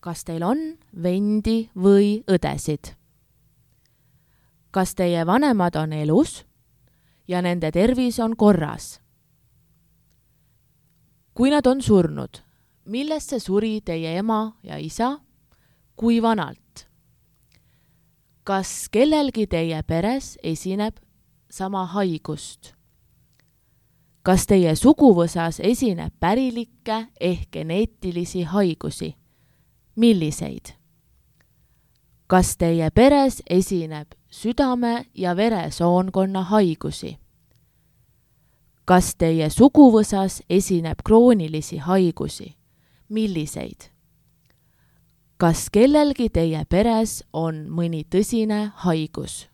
Kas teil on vendi või õdesid? Kas teie vanemad on elus ja nende tervis on korras? Kui nad on surnud, millesse suri teie ema ja isa? Kui vanalt? Kas kellelgi teie peres esineb sama haigust? Kas teie suguvõsas esineb pärilikke ehk geneetilisi haigusi? Milliseid? Kas teie peres esineb südame- ja veresoonkonna haigusi? Kas teie suguvõsas esineb kroonilisi haigusi? Milliseid? Kas kellelgi teie peres on mõni tõsine haigus?